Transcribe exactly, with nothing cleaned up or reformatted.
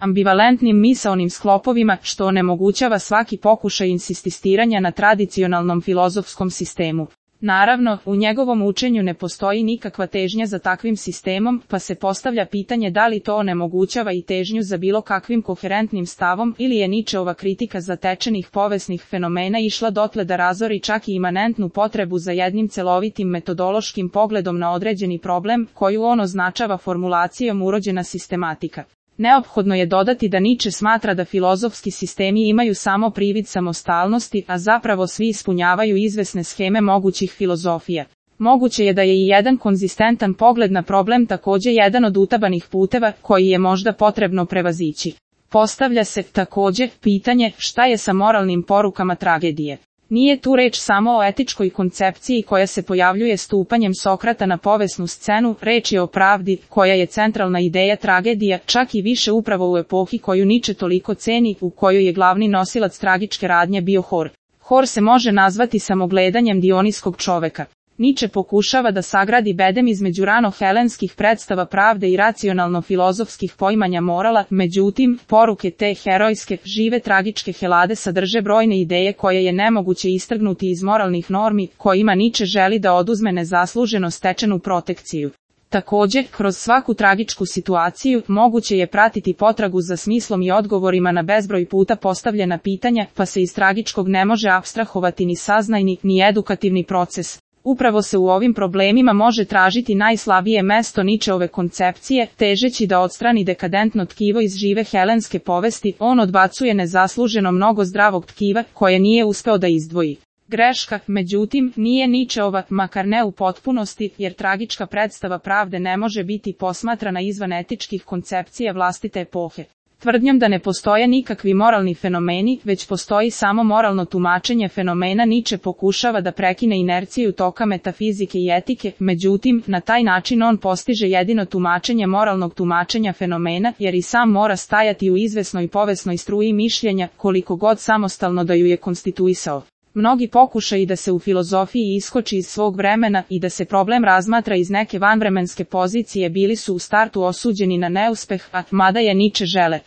ambivalentnim misaonim sklopovima, što onemogućava svaki pokušaj insistiranja na tradicionalnom filozofskom sistemu. Naravno, u njegovom učenju ne postoji nikakva težnja za takvim sistemom, pa se postavlja pitanje da li to onemogućava i težnju za bilo kakvim koherentnim stavom ili je Ničeova kritika zatečenih povesnih fenomena išla dotle da razori čak i imanentnu potrebu za jednim celovitim metodološkim pogledom na određeni problem, koju on označava formulacijom urođena sistematika. Neophodno je dodati da Niče smatra da filozofski sistemi imaju samo privid samostalnosti, a zapravo svi ispunjavaju izvesne scheme mogućih filozofija. Moguće je da je i jedan konzistentan pogled na problem takođe jedan od utabanih puteva koji je možda potrebno prevazići. Postavlja se, takođe, pitanje šta je sa moralnim porukama tragedije. Nije tu reč samo o etičkoj koncepciji koja se pojavljuje stupanjem Sokrata na povesnu scenu, reč je o pravdi, koja je centralna ideja tragedija, čak i više upravo u epohi koju Niče toliko ceni, u kojoj je glavni nosilac tragičke radnje bio Hor. Hor se može nazvati samogledanjem dioniskog čoveka. Niče pokušava da sagradi bedem između rano-helenskih predstava pravde i racionalno-filozofskih poimanja morala, međutim, poruke te herojske, žive tragičke Helade sadrže brojne ideje koje je nemoguće istrgnuti iz moralnih normi, kojima Niče želi da oduzme nezasluženo stečenu protekciju. Takođe, kroz svaku tragičku situaciju, moguće je pratiti potragu za smislom i odgovorima na bezbroj puta postavljena pitanja, pa se iz tragičkog ne može apstrahovati ni saznajni, ni edukativni proces. Upravo se u ovim problemima može tražiti najslabije mesto Ničeove koncepcije, težeći da odstrani dekadentno tkivo iz žive helenske povesti, on odbacuje nezasluženo mnogo zdravog tkiva, koje nije uspeo da izdvoji. Greška, međutim, nije Ničeova, makar ne u potpunosti, jer tragička predstava pravde ne može biti posmatrana izvan etičkih koncepcija vlastite epohe. Tvrdnjom da ne postoje nikakvi moralni fenomeni, već postoji samo moralno tumačenje fenomena, Niče pokušava da prekine inerciju toka metafizike i etike, međutim, na taj način on postiže jedino tumačenje moralnog tumačenja fenomena, jer i sam mora stajati u izvesnoj povesnoj struji mišljenja, koliko god samostalno da ju je konstituisao. Mnogi pokušaji da se u filozofiji iskoči iz svog vremena i da se problem razmatra iz neke vanvremenske pozicije bili su u startu osuđeni na neuspeh, a mada je Niče žele